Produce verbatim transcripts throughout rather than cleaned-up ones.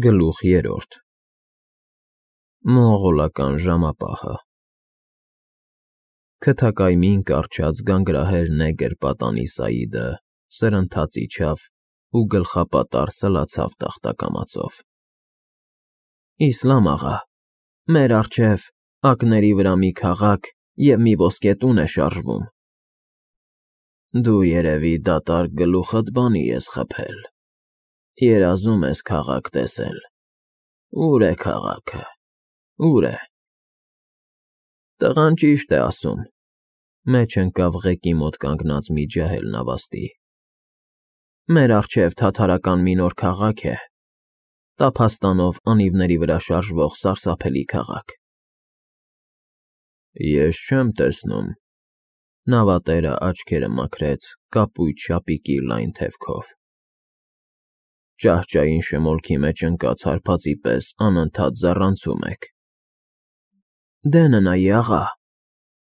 Գլուխ երրորդ Մոնղոլական ժամապահը Քթակայմին կառչած գանգրահեր նեգր պատանի Սաիդը սրընթաց իջավ ու գլխապատառ սլացավ տախտակամածով։ Իսլամ աղա, մեր առջև ակների վրա մի քաղաք և մի ոսկե տուն է շարժվում։ Դու երևի դատարկ գլուխդ բանի ես խփել, երազում ես քաղաք տեսել, ո՞ւր է քաղաքը, ո՞ւր է։ Տղան ճիշտ է ասում, մեջ ընկավ ղեկի մոտ կանգնած մի ջահել նավաստի։ Մեր առջև թաթարական մի նոր քաղաք է, տափաստանով անիվների վրա շարժվող սարսափելի քաղաք։ Ես չեմ տեսնում։ Նավատերը աչքերը մաքրեց կապույտ շապիկի լայն թևքով։ Ճահճային շմոլքի մեջ ընկած հարբածի պես անընդհատ զառանցում եք։ Դե ննայի աղա,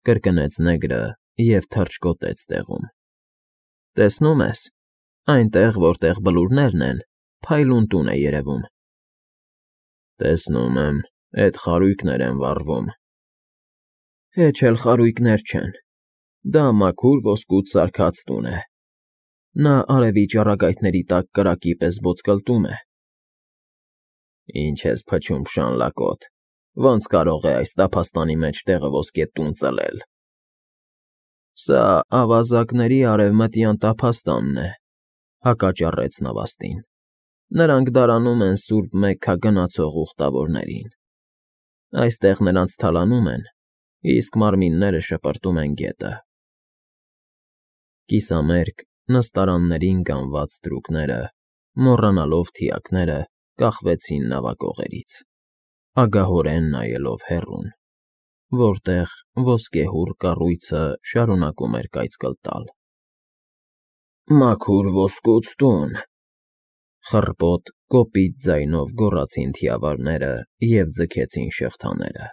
կրկնեց նեգրը և թռչկոտեց տեղում։ Տեսնում ես, այնտեղ, որտեղ բլուրներն են, փայլուն տուն է երևում։ Տեսնում եմ, էդ խարույկներ են վառվում։ Հեչ էլ խարույկներ չեն, դա մաքուր ոսկուց սարքած տուն է։ Նա արևի ճառագայթների տակ կրակի պես ոտկլտում է։ Ինչ ես փչում փշանլակոտ, ոնց կարող է այս տափաստանի մեջ տեղը ոսկե տուն ծլել։ Սա ավազակների արևմտյան տափաստանն է, հակաճառեց նավաստին։ Նրանք դարանում են սուրբ Մեքքա գնացող ուխտավորներին։ Այստեղ նրանց թալանում են, իսկ մարմինները շպրտում են գետը։ Կիսամերկ նստարաններին գանված թրուկները, մոռանալով թիակները, կախվեցին նավակողերից, ագահորեն նայելով հեռուն, որտեղ ոսկեհուռ կառույցը շարունակում էր կայծկլտալ։ Մաքուր ոսկուց տուն, խռպոտ կոպիտ ձայնով գոռացին թիավարները և ձգեցին շղթաները։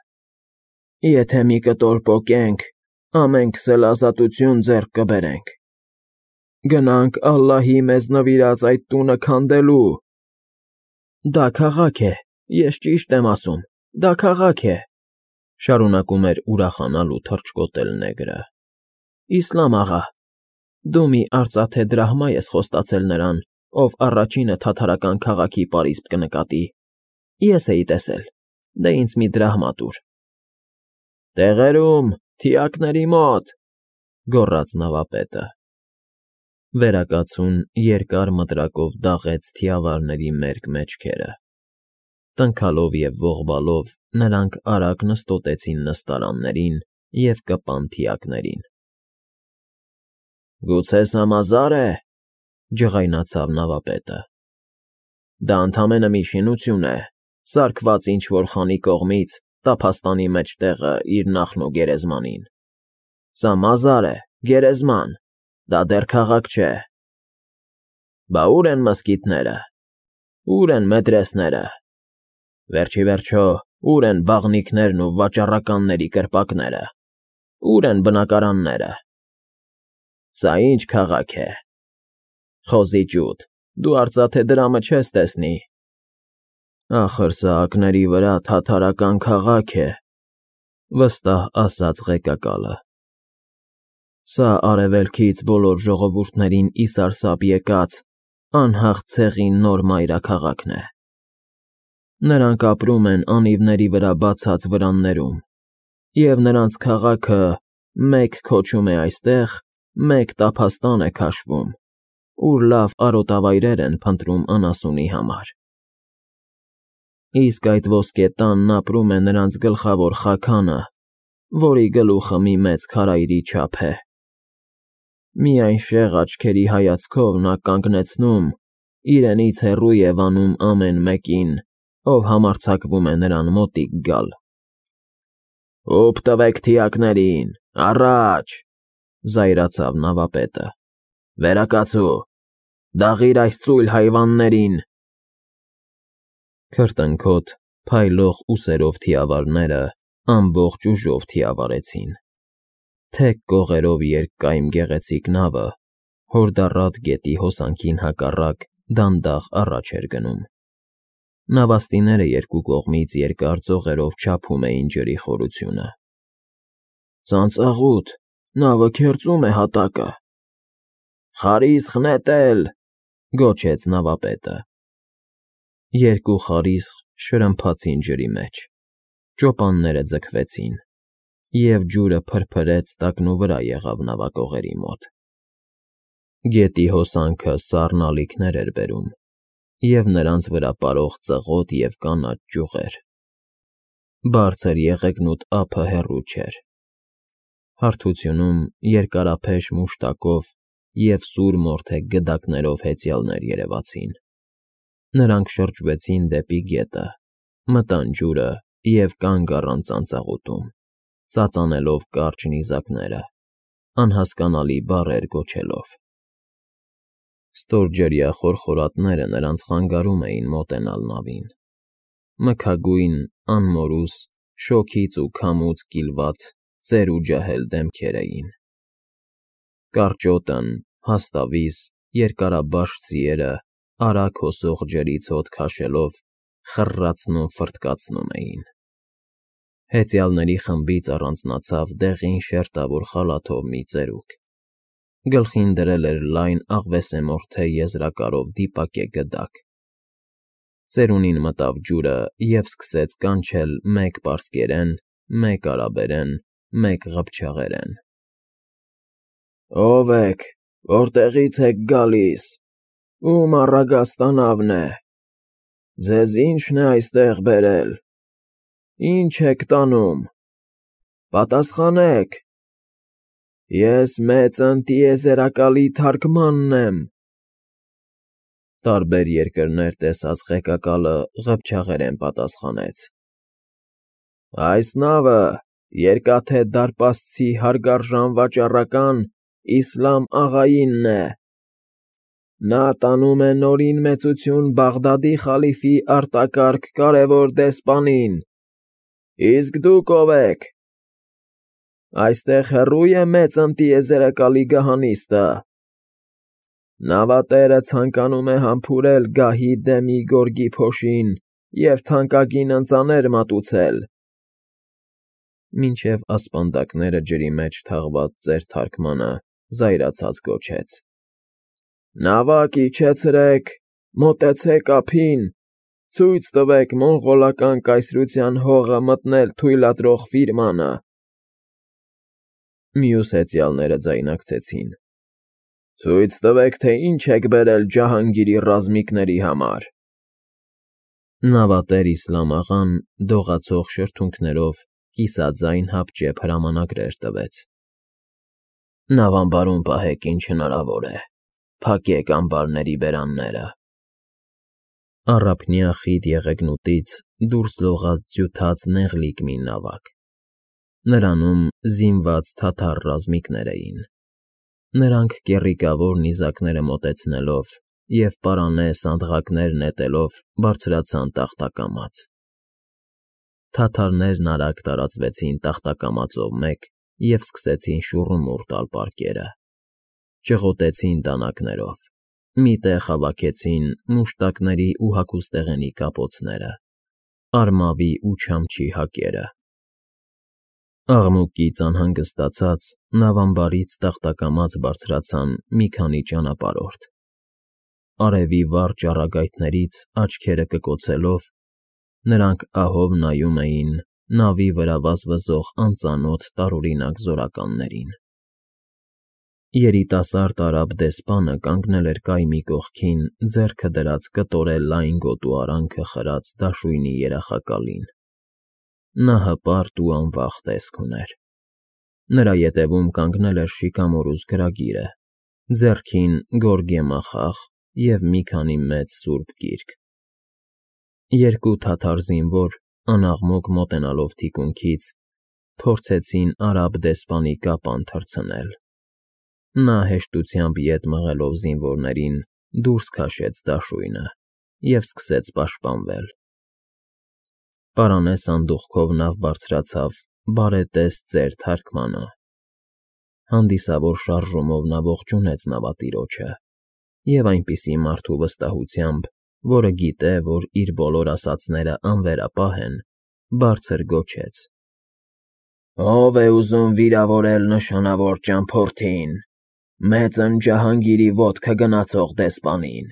Եթե մի կտոր պոկենք, ամենքս էլ ազատություն ձեռք կբերենք։ Գնանք ալլահի մեզ նվիրած այդ տունը քանդելու։ Դա քաղաք է, ես ճիշտ եմ ասում, դա քաղաք է, շարունակում էր ուրախանալ ու թռչկոտել նեգրը։ Իսլամ աղա, դու մի արծաթե դրահմա ես խոստացել նրան, ով առաջինը թաթարական քաղաքի պարիսպ կնկատի։ Ես էի տեսել, դե ինձ մի դրահմա տուր։ Տեղերում, թիակների մոտ, գոռաց նավապետը։ Վերակացուն երկար մտրակով դաղեց թիավարների մերկ մեջքերը։ Տնքալով և ողբալով նրանք արագ նստոտեցին նստարաններին և կպան թիակներին։ Գուցե Սամազա՞ր է, ջղայնացավ նավապետը։ Դա ընդամենը մի շինություն է, սարքված ինչ֊որ խանի կողմից տափաստանի մեջտեղը իր նախն ու գերեզմանին։ Սա մազար է, գերեզման, դա դեռ քաղաք չէ։ Բա ո՞ւր են մզկիթները, ո՞ւր են մեդրեսները, վերջիվերջո, ո՞ւր են բաղնիքներն ու վաճառականների կրպակները, ո՞ւր են բնակարանները։ Սա ի՞նչ քաղաք է։ Խոզի ջութ, դու արծաթե դրամը չես տեսնի։ Ախր սա ակների վրա թաթարական քաղաք է, վստահ ասաց ղեկակալը։ Սա արևելքից բոլոր ժողովուրդներին ի սարսափ եկած անհաղ ցեղի նոր մայրաքաղաքն է։ Նրանք ապրում են անիվների վրա բացած վրաններում, և նրանց քաղաքը մեկ քոչում է այստեղ, մեկ տափաստան է քաշվում, ուր լավ արոտավայրեր են փնտրում անասունի համար։ Իսկ այդ ոսկե տանն ապրում է նրանց գլխավոր խաքանը, որի գլուխը մի մեծ քարայրի չափ է։ Միայն շեղ աչքերի հայացքով նա կանգնեցնում, իրենից հեռու և անում ամեն մեկին, ով համարձակվում է նրան մոտիկ գալ։ Հոպ տվեք թիակներին, առաջ, զայրացավ նավապետը։ Վերակացու, դաղիր այս ծույլ հայվաններին։ Քրտընքոտ, փայլող ուսերով թիավարները ամբողջ ուժով թիավարեցին։ Թեք կողերով երկկայմ գեղեցիկ նավը, հորդառատ գետի հոսանքին հակառակ, դանդաղ առաջ էր գնում։ Նավաստիները երկու կողմից երկար ծողերով չափում էին ջրի խորությունը։ Ծանծաղուտ, նավը քերծում է հատակը։ Խարիսխ նետել, գոչեց նավապետը։ Երկու խարիսխ շրմփացին ջրի մեջ, ճոպանները ձգվեցին, և ջուրը փրփրեց տակնուվրա եղավ նավակողերի մոտ։ Գետի հոսանքը սառն ալիքներ էր բերում, և նրանց վրա պարող ծղոտ և կանաչ ճյուղեր։ Բարձր եղեգնուտ ափը հեռու չէր։ Հարթությունում երկարափեշ մուշտակով և սուր մորթե գդակներով հեծյալներ երևացին։ Նրանք շրջվեցին դեպի գետը, մտան ջուրը և կանգ առան ծանծաղուտում, ծածանելով կարճ նիզակները, անհասկանալի բառեր գոչելով։ Ստորջրյա խորխորատները նրանց խանգարում էին մոտենալ նավին։ Մքագույն, անմորուս, շոգից ու քամուց կիլված ծեր ու ջահել դեմքեր էին։ Կարճոտն, հաստավիս, երկարաբաշ ձիերը արագ հոսող ջրից հոտ քաշելով խռռացնում ֆռթկացնում էին։ Հեծյալների խմբից առանձնացավ դեղին շերտավոր խալաթով մի ծերուկ։ Գլխին դրել էր լայն աղվեսեմորթե եզրակարով դիպակե գդակ։ Ծերունին մտավ ջուրը և սկսեց կանչել մեկ պարսկերեն, մեկ արաբերեն, մեկ ղփչաղերեն. Ո՞վ եք, որտեղի՞ց եք գալիս, ո՞ւմ առագաստանավն է, ձեզ ի՞նչն է այստեղ բերել, ի՞նչ եք տանում, պատասխանեք, ես մեծ ընտիեզերակալի թարգմանն եմ։ Տարբեր երկրներ տեսած ղեկակալը ղփչաղերեն պատասխանեց. Այս նավը Երկաթե դարպասցի հարգարժան վաճառական Իսլամ աղայինն է։ Նա տանում է Նորին Մեծություն Բաղդադի խալիֆի արտակարգ կարևոր դեսպանին։ Իսկ դուք ո՞վ եք։ Այստեղ հեռո՞ւ է մեծ ընտիեզերակալի գահանիստը։ Նավատերը ցանկանում է համբուրել գահի դեմի գորգի փոշին և թանկագին ընծաներ մատուցել։ Մինչև ասպանդակները ջրի մեջ թաղված ծեր թարգմանը զայրացած գոչեց. Նավակ իջեցրեք, մոտեցեք ափին, ցույց տվեք մոնղոլական կայսրության հողը մտնել թույլատրող ֆիրմանը։ Մյուս հեծյալները ձայնակցեցին. Ցույց տվեք, թե ինչ եք բերել Ջահանգիրի ռազմիկների համար։ Նավատեր Իսլամ աղան դողացող շրթունքներով կիսաձայն հապճեպ հրամանագրեր տվեց. Նավամբարում պահեք ինչ հնարավոր է, փակեք ամբարների բերանները։ Առափնյա խիտ եղեգնուտից դուրս լողաց ձյութած նեղլիկ մի նավակ։ Նրանում զինված թաթար ռազմիկներ էին։ Նրանք կեռիկավոր նիզակները մոտեցնելով և պարանե սանդղակներ նետելով բարձրացան տախտակամաց։ Թաթարներն արագ տարածվեցին տախտակամածով մեկ և սկսեցին շուռումուռ տալ պարկերը։ Ճղոտեցին դանակներով, մի տեղ հավաքեցին մուշտակների ու հագուստեղենի կապոցները, արմավի ու չամչի հակերը։ Աղմուկից անհանգստացած նավամբարից տախտակամաց բարձրացան մի քանի ճանապարհորդ։ Արևի վառ ճառագայթներից աչքերը կկոցելով, նրանք ահով նայում էին նավի վրա վազվզող անծանոթ տարօրինակ զորականներին։ Երիտասարդ արաբ դեսպանը կանգնել էր կայմի կողքին ձեռքը դրած կտորե լայն գոտու արանքը խրած դաշույնի երախակալին։ Նա հպարտ ու անվախ տեսք ուներ։ Նրա ետևում կանգնել էր շիկամորուս գրագիրը, ձեռքին գորգե մախախ և մի քանի մեծ սուրբ գիրք։ Երկու թաթար զինվոր, անաղմուկ մոտենալով թիկունքից, փորձեցին արաբ դեսպանի կապան թռցնել։ Նա հեշտությամբ ետ մղելով զինվորներին դուրս քաշեց դաշույնը և սկսեց պաշտպանվել։ Պարանե սանդուղքով նավ բարձրացավ բարետես ծեր թարգմանը։ Հանդիսավոր շարժումով նա ողջունեց նավատիրոջը և այնպիսի մարդու վստահությամբ, որը գիտե, որ իր բոլոր ասածները անվերապահ են, բարձր գոչեց. ֊ Ո՞վ է ուզում վիրավորել նշանավոր ճամփորդին, մեծն Ջահանգիրի ոտքը գնացող դեսպանին։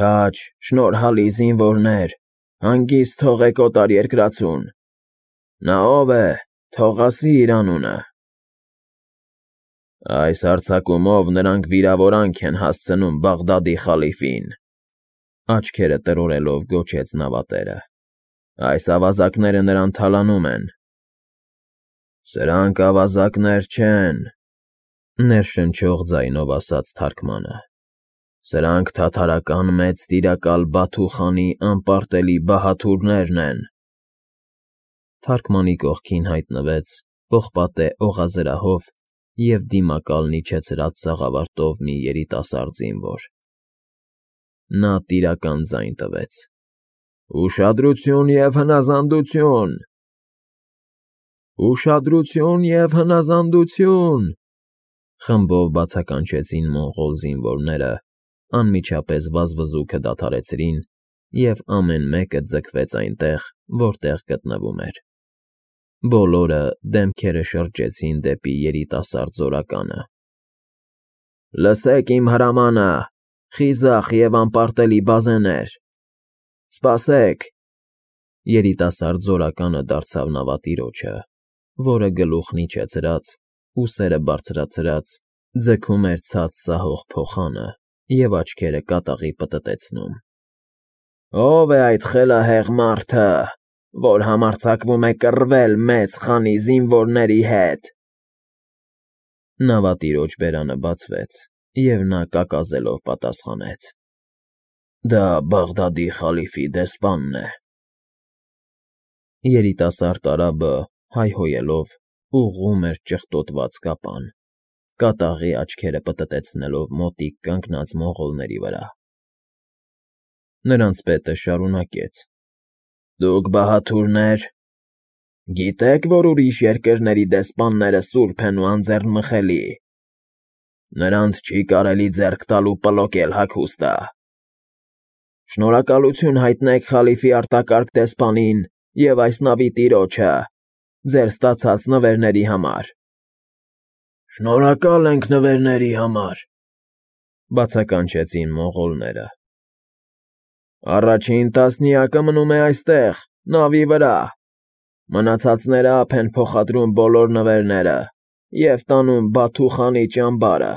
Քաջ, շնորհալի զինվորներ, հանգիստ թողեք օտարերկրացուն։ Նա ո՞վ է, թող ասի իր անունը։ Այս հարձակումով նրանք վիրավորանք են հասցնում Բաղդադի խալիֆին, աչքերը տրորելով գոչեց նավատերը։ Այս ավազակները նրան թալանում են։ Սրանք ավազակներ չեն, ներշնչող ձայնով ասաց թարգմանը։ Սրանք թաթարական մեծ տիրակալ Բաթու խանի անպարտելի բահաթուրներն են։ Թարգմանի կողքին հայտնվեց պողպատե օղազրահով և դիմակալն իջեցրած սաղավարտով մի երիտասարդ զինվոր։ Նա տիրական ձայն տվեց. «Ուշադրություն և հնազանդություն… Ուշադրություն և հնազանդություն…» խմբով բացականչեցին մոնղոլ զինվորները, անմիջապես վազվզուքը դադարեցրին, և ամեն մեկը ձգվեց այնտեղ, որտեղ գտնվում էր։ Բոլորը դեմքերը շրջեցին դեպի երիտասարդ զորականը։ Լսեք իմ հրամանը, խիզախ և անպարտելի բազեներ… Սպասեք… Երիտասարդ զորականը դարձավ նավատիրոջը, որը գլուխն իջեցրած, ուսերը բարձրացրած, ձգում էր ցած սահող փոխանը և աչքերը կատաղի պտտեցնում։ Ո՞վ է այդ խելահեղ մարդը, որ համարձակվում է կռվել մեծ խանի զինվորների հետ։ Նավատիրոջ բերանը բացվեց, և նա կակազելով պատասխանեց. Դա Բաղդադի խալիֆի դեսպանն է։ Երիտասարդ արաբը, հայհոյելով, ուղղում էր ճխտոտված կապան, կատաղի աչքերը պտտեցնելով մոտիկ կանգնած մոնղոլների վրա։ Նրանց պետը շարունակեց. Դուք բահաթուրնե՞ր… Գիտե՞ք, որ ուրիշ երկրների դեսպանները սուրբ են ու անձեռնմխելի։ Նրանց չի կարելի ձեռք տալ ու պլոկել հագուստը։ Շնորհակալություն հայտնեք խալիֆի արտակարգ դեսպանին և այս նավի տիրոջը ձեր ստացած նվերների համար։ Շնորհակալ ենք նվերների համար, բացականչեցին մոնղոլները։ Առաջին տասնյակը մնում է այստեղ, նավի վրա, մնացածները ափ են փոխադրում բոլոր նվերները և տանում Բաթու խանի ճամբարը։